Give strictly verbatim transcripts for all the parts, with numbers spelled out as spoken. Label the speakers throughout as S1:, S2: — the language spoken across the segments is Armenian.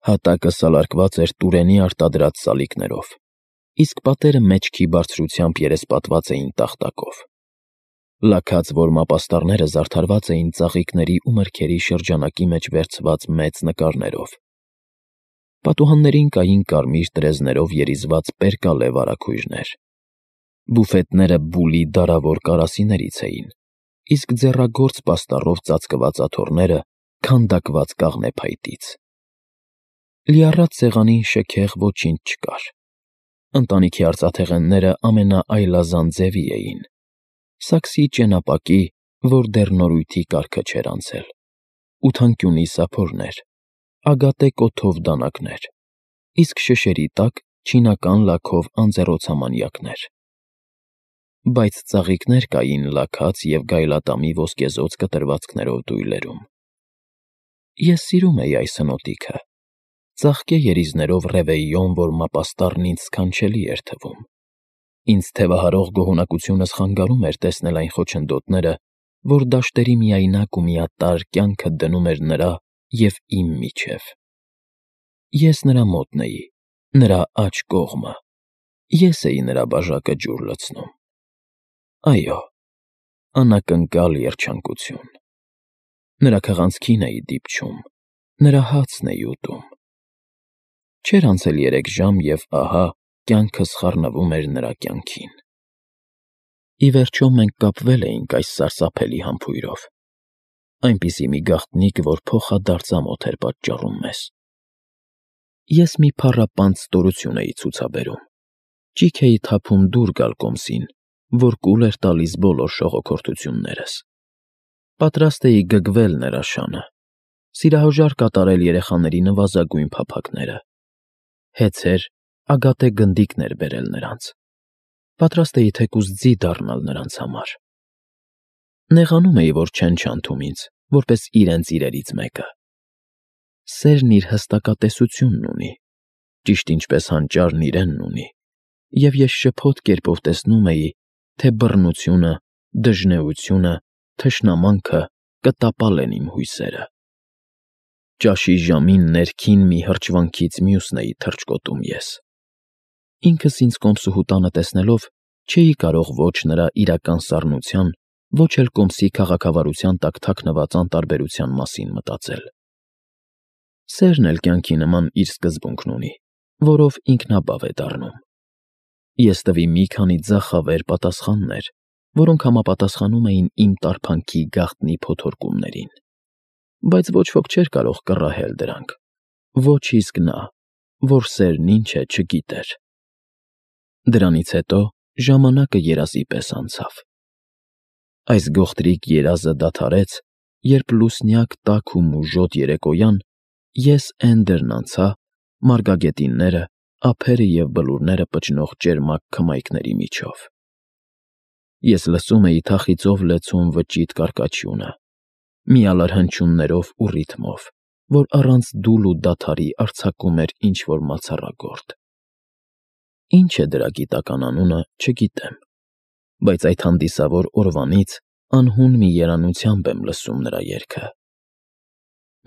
S1: Հատակը սալարկված էր տուրենի արտադրած սալիկներով, իսկ պատերը մեջքի բարձրությամբ երեսպատված էին տախտակով։ Լաքած որմապաստառները զարդարված էին ծաղիկների ու մրգերի շրջանակի մեջ վերցված մեծ նկարներով։ Պատուհաններին կային կարմիր տրեզներով երիզված պերկալե վարագույրներ։ Բուֆետները բուլի դարավոր կարասիներից էին, իսկ ձեռագործ պաստառով ծածկված աթոռները քանդակված կաղնեփայտից։ Լիառատ սեղանին շքեղ ոչինչ չկար։ Ընտանիքի արծաթեղենները ամենաայլազան ձևի էին, սաքսի ճենապակի, որ դեռ նորույթի կարգը չէր անցել, ութանկյունի սափորներ, ագատե կոթով դանակներ, իսկ շշերի տակ չինական լաքով անձեռոցամանյակներ։ Բայց ծաղիկներ կային լաքած և գայլատամի ոսկեզօծ կտրվածքներով դույլերում։ Ես սիրում էի այս հնոտիքը, ծաղկե երիզներով Ռևեյոն որմապաստառն ինձ սքանչելի էր թվում։ Ինձ թևահարող գոհունակությունս խանգարում էր տեսնել այն խոչընդոտները, որ դաշտերի միայնակ ու միատարր կյանքը դնում էր նրա և իմ միջև։ Ես նրա մոտն էի, նրա աջ կողմը, ես էի նրա բաժակը ջուր լցնում։ Այո, անակնկալ երջանկություն։ Նրա քղանցքին էի դիպչում, նրա հացն էի ուտում։ Չէր անցել երեք ժամ, և ահա կյանքս խառնվում էր նրա կյանքին։ Ի վերջո մենք կապվել էինք այս սարսափելի համբույրով, այնպիսի մի գաղտնիք, որ փոխադարձամոթ էր պատճառում մեզ։ Ես մի փառապանծ ստորություն էի ցուցաբերում, ճիգ էի թափում դուր գալ կոմսին, որ կուլ էր տալիս բոլոր շողոքորթություններս։ Պատրաստ էի գգվել նրա շանը, սիրահոժար կատարել երեխաների նվազագույն փափագները, հեծեր, ագատե գնդիկներ բերել նրանց, պատրաստ էի թեկուզ ձի դառնալ նրանց համար։ Նեղանում էի, որ չեն չանթում ինձ, որպես իրենց իրերից մեկը։ Սերն իր հստակատեսությունն ունի, ճիշտ ինչպես հանճարն իրենն ունի, և ես շփոթ կերպով տեսնում էի, թե բռնությունը, դժնեությունը, թշնամանքը կտապալեն իմ հույսերը։ Ճաշի ժամին ներքին մի հրճվանքից մյուսն էի թռչկոտում ես։ Ինքս ինձ կոմսուհու տանը տեսնելով չէի կարող ոչ նրա իրական սառնության, ոչ էլ կոմսի քաղաքավարության տակ թաքնված անտարբերության մասին մտածել։ Սերն էլ կյանքի նման իր սկզբունքն ունի, որով ինքնաբավ է դառնում։ Ես տվի մի քանի ձախավեր պատասխաններ, որոնք համապատասխանում էին իմ տարբանքի գաղտնի փոթորկումներին, բայց ոչ ոք չէր կարող կռահել դրանք, ոչ իսկ նա, որ սերն ինչ է, չգիտեր։ Դրանից հետո ժամանակը երազի պես անցավ։ Այս գողտրիկ երազը դադարեց, երբ լուսնյակ տաք ու մուժոտ երեկոյան ես Էնդերն անցա մարգագետինները, ափերը և բլուրները պչնող ճերմակ քմայքների միջով։ Ես լսում էի թախիծով լեցուն վճիտ կարկաչյունը, միալար հնչյուններով ու ռիթմով, որ առանց դուլ ու դադարի արձակում էր ինչ֊որ մացառագործ։ Ինչ է դրա գիտական անունը, չգիտեմ, բայց այդ հանդիսավոր օրվանից անհուն մի երանությամբ եմ լսում նրա երգը։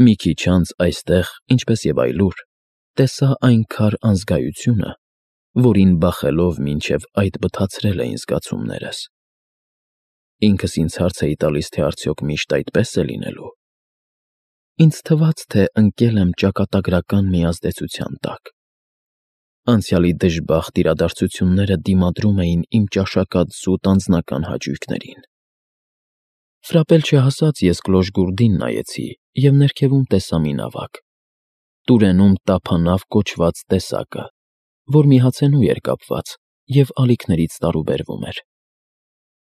S1: Մի քիչ անց այստեղ, ինչպես և այլուր, տեսա այն քար անզգայությունը, որին բախելով մինչև այդ բթացրել էին զգացումներս։ Ինքս ինձ հարց էի տալիս, թե արդյոք միշտ այդպես է լինելու։ Ինձ թվաց, թե ընկել եմ ճակատագրական մի ազդեցության տակ։ Անցյալի դժբախտ իրադարձությունները դիմադրում էին իմ ճաշակած զուտ անձնական հաճույքներին։ Ֆրապել չհասած ես գլոժգուրդին նայեցի և ներքևում տեսա մի նավակ, Տուրենում տափանավ կոչված տեսակը, որ մի հացենու էր կապված և ալիքներից տարուբերվում էր։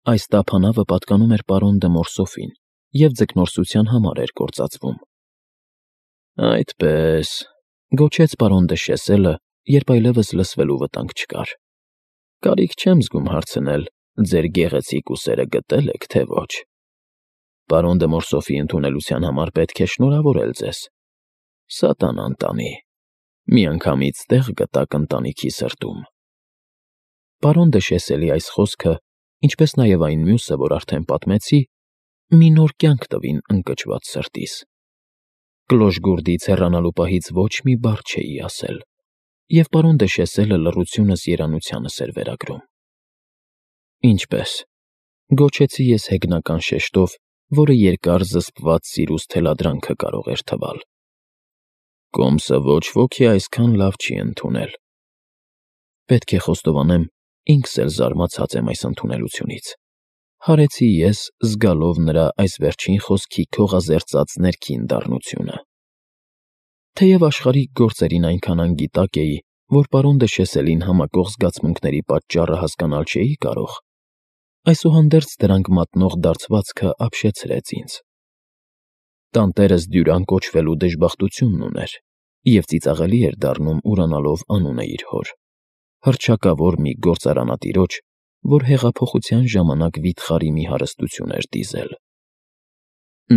S1: Այս տափանավը պատկանում էր պարոն դը Մորսոֆին և ձկնորսության համար էր գործածվում։ Այդպե՜ս, ֊ գոչեց պարոն դը Շեսելը, երբ այլևս լսվելու վտանգ չկար։ Կարիք չեմ զգում հարցնել՝ ձեր գեղեցիկ ուսերը գտե՞լ եք, թե ոչ։ Պարոն դը Մորսոֆի ընդունելության համար պետք է շնորհավորել ձեզ։ Սատանան տանի, միանգամից տեղ գտաք ընտանիքի սրտում։ Պարոն դը Շեսելի այս խոսքը, ինչպես նաև այն մյուսը, որ արդեն պատմեցի, մի նոր կյանք տվին ընկճված սրտիս։ Կլոշգուրդից հեռանալու պահից ոչ մի բառ չէի ասել, և պարոն Դեշեսելը լռությունս երանությանս էր վերագրում։ Ինչպե՞ս,֊ գոչեցի ես հեգնական շեշտով, որը երկար զսպված սիրուց թելադրանքը կարող էր թվալ։ Կոմսը ոչ ոքի այսքան լավ չի ընդունել։ Պետք է խոստովանեմ, ինքս էլ զարմացած եմ այս ընդունելությունից, հարեցի ես, զգալով նրա այս վերջին խոսքի քողազերծած ներքին դառնությունը։ Թեև աշխարհիկ գործերին այնքան անգիտակ էի, որ պարոն Դեշեսելին համակող զգացմունքների պատճառը հասկանալ չէի կարող, այսուհանդերձ դրանք մատնող դարձվածքը ապշեցրեց ինձ։ Տանտերս Դյուրան կոչվելու դժբախտությունն ուներ և ծիծաղելի էր դառնում ուրանալով անունը իր հոր, հռչակավոր մի գործարանատիրոջ, որ հեղափոխության ժամանակ վիթխարի մի հարստություն էր դիզել։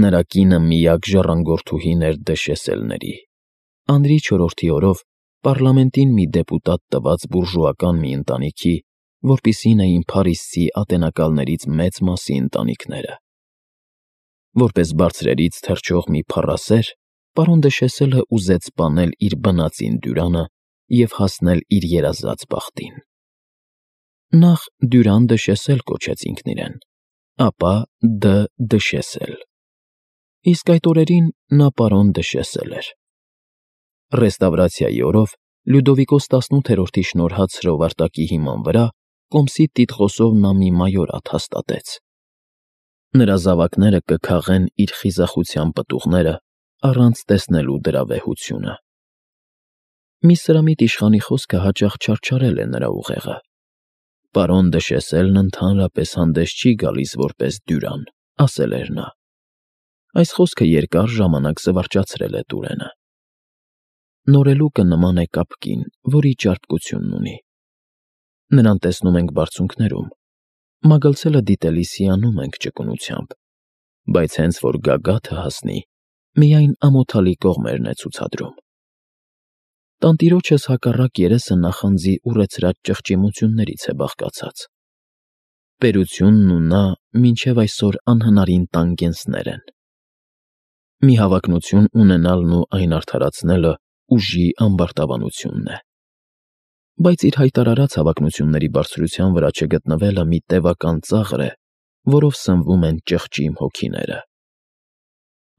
S1: Նրա կինը միակ ժառանգորդուհին էր Դեշեսելների, անրի չորրորդի օրով պառլամենտին մի դեպուտատ տված բուրժուական մի ընտանիքի, որպիսին էին Փարիզցի ատենակալներից մեծ մասի ընտանիքները։ Որպես բարձրերից թռչող մի փառասեր, պարոն Դեշեսելը ուզեց սպանել իր բնածին Դյուրանը և հասնել իր երազած բախտին։ Նախ Դյուրան Դեշեսել կոչեց ինքն իրեն, ապա Դ. Դեշեսել, իսկ այդ օրերին նա պարոն Դեշեսել էր։ Ռեստավրացիայի օրով Լյուդովիկոս տասնութերորդի շնորհած հրովարտակի հիման վրա կոմսի տիտղոսով նա մի մայորատ հաստատեց։ Նրա զավակները կքաղեն իր խիզախության պտուղները առանց տեսնելու դրա վեհությունը։ Մի սրամիտ իշխանի խոսքը հաճախ չարչարել է նրա ուղեղը։ Պարոն Դեշեսելն ընդհանրապես հանդես չի գալիս որպես Դյուրան, ասել էր նա։ Այս խոսքը երկար ժամանակ զվարճացրել է Տուրենը։ Նորելուկը նման է կապկին, որի ճարպկությունն ունի։ Նրան տեսնում ենք բարձունքներում, մագլցելը դիտելիս հիանում ենք ճկունությամբ, բայց հենց որ գագաթը հասնի, միայն ամոթալի կողմերն է ցուցադրում։ Տանտիրոջս հակառակ երեսը նախանձի ուռեցրած ճղճիմություններից է բաղկացած։ Պետությունն ու նա մինչև այսօր անհնարին տանգենսներ են։ Մի հավակնություն ունենալն ու այն արդարացնելը ուժի ամբարտավանությունն է։ Բայց իր հայտարարած հավակնությունների բարձրության վրա չգտնվելը մի տևական ծաղր է, որով սնվում են ճղճիմ հոգիները։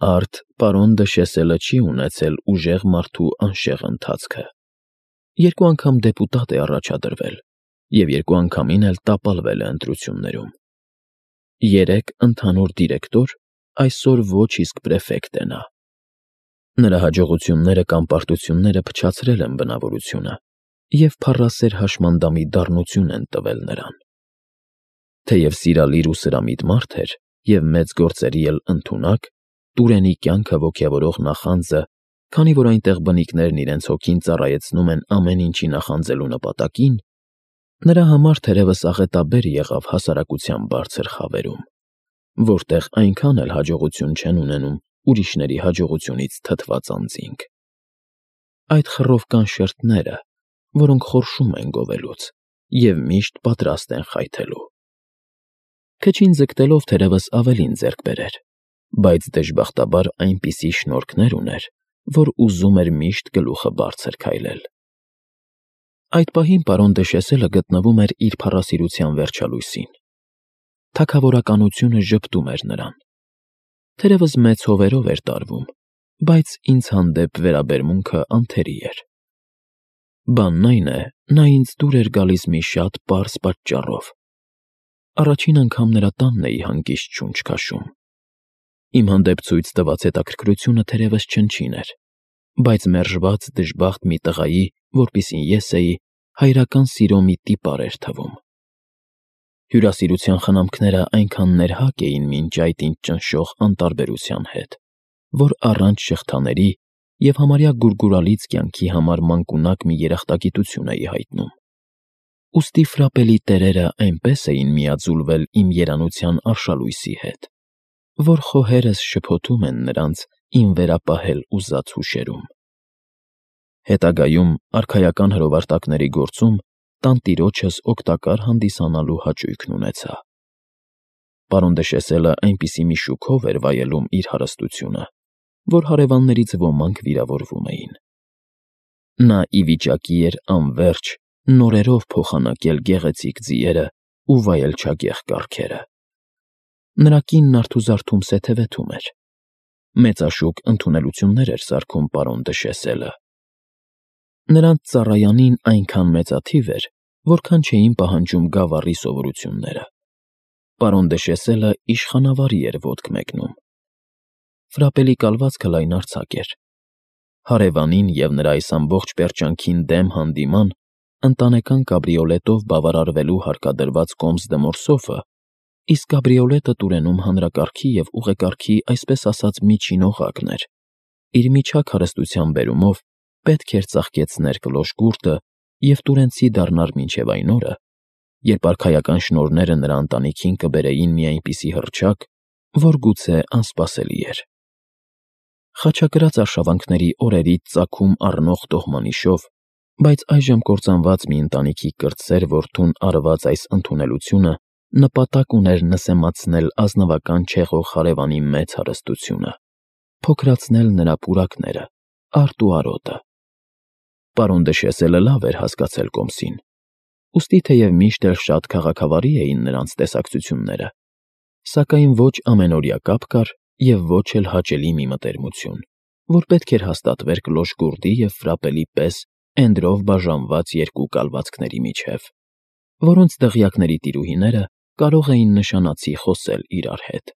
S1: Արդ պարոն Դեշեսելը չի ունեցել ուժեղ մարդու անշեղ ընթացքը։ Երկու անգամ դեպուտատ է առաջադրվել և երկու անգամին էլ տապալվել է ընտրություններում։ Երեք ընդհանուր դիրեկտոր, այսօր ոչ իսկ պրեֆեկտ է նա։ Նրա հաջողությունները կամ պարտությունները փչացրել են բնավորությունը և փառասեր հաշմանդամի դառնություն են տվել նրան։ Թեև սիրալիր ու սրամիտ մարդ էր և մեծ գործերի էլ ընդունակ, Տուրենի կյանքը ոգևորող նախանձը, քանի որ այնտեղ բնիկներն իրենց հոգին ծառայեցնում են ամեն ինչի նախանձելու նպատակին, նրա համար թերևս աղետաբեր եղավ հասարակության բարձր խավերում, որտեղ այնքան էլ հաջողություն չեն ունենում ուրիշների հաջողությունից թթված անձինք։ Այդ խռովկան շերտները, որոնք խորշում են գովելուց և միշտ պատրաստ են խայթելու։ Քչին ձգտելով թերևս ավելին ձեռք բերեր, բայց դժբախտաբար այնպիսի շնորհքներ ուներ, որ ուզում էր միշտ գլուխը բարձր քայլել։ Այդ պահին պարոն Դեշեսելը գտնվում էր իր փառասիրության վերջալույսին։ Թագավորականությունը ժպտում էր նրան։ Թերևս մեծ հովերով էր տարվում, բայց ինձ հանդեպ վերաբերմունքը անթերի էր։ Բանն այն է, նա ինձ դուր էր գալիս մի շատ պարզ պատճառով։ Առաջին անգամ նրա տանն էի հանգիստ շունչ քաշում։ Իմ հանդեպ ցույց տված հետաքրքրությունը թերևս չնչին էր, բայց մերժված դժբախտ մի տղայի, որպիսին ես էի, հայրական սիրո մի տիպար էր թվում։ Հյուրասիրության խնամքները այնքան ներհակ էին մինչ այդ ինձ ճնշող անտարբերության հետ, որ առանց շղթաների և համարյա գուրգուրալից կյանքի համար մանկունակ մի երախտագիտություն էի հայտնում։ Ուստի ֆրապելի տերերը այնպես էին միաձուլվել իմ երանության արշալույսի հետ, որ խոհերս շփոթում են նրանց իմ վերապահել ուզած հուշերում։ Հետագայում արքայական հրովարտակների գործում տանտիրոջս օգտակար հանդիսանալու հաճույքն ունեցա։ Պարոն Դեշեսելը այնպիսի մի շուքով էր վայելում իր հարստությունը, որ հարևաններից ոմանք վիրավորվում էին։ Նա ի վիճակի էր անվերջ նորերով փոխանակել գեղեցիկ ձիերը ու վայել չագեղ կառքերը։ Նրա կինն արթուզարթում սեթևեթում էր։ Մեծաշուկ ընդունելություններ էր սարքում պարոն Դշեսելը։ Նրանց ծառայանին այնքան մեծաթիվ էր, որքան չէին պահանջում գավառի սովորությունները։ Պարոն Դշեսելը իշխանավարի էր ոտք մեկնում։ Ֆրապելի կալվածքը լայնարձակ էր։ Հարևանին և նրա այս ամբողջ պերճանքին դեմ հանդիման ընտանեկան կաբրիոլետով բավարարվելու հարկադրված կոմս-դմորսոֆը, իսկ կաբրիոլետը Տուրենում հանրակարգի և ուղեկարգի այսպես ասած միջին օղակն էր, իր միջակ հարստության բերումով պետք էր ծաղկեցներ կլոր-գուրտը և տուրենցի դառնար մինչև այն օրը, երբ արքայական շնորհները նրա ընտանիքին կբերեին մի այնպիսի հռչակ, որ գուցե անսպասելի էր։ Խաչակրաց արշավանքների օրերից ծագում առնող տոհմանիշով, բայց այժմ կործանված մի ընտանիքի կրտսեր որդուն արված այս ընդունելությունը նպատակ ուներ նսեմացնել ազնվական չեղող հարևանի մեծ հարստությունը, փոքրացնել նրա պուրակները, արտ ու արոտը։ Պարոն Դշեսելը լավ էր հասկացել կոմսին, ուստի թեև միշտ էլ շատ քաղաքավարի էին նրանց տեսակցությունները, սակայն ոչ ամենօրյա կապ կար և ոչ էլ հաճելի մի մտերմություն, որ պետք էր հաստատվեր կլոր-գուրտի և Ֆրապելի պես էնդրով բաժանված երկու կալվածքների միջև, որոնց դղյակների տիրուհիները կարող էին նշանացի խոսել իրար հետ։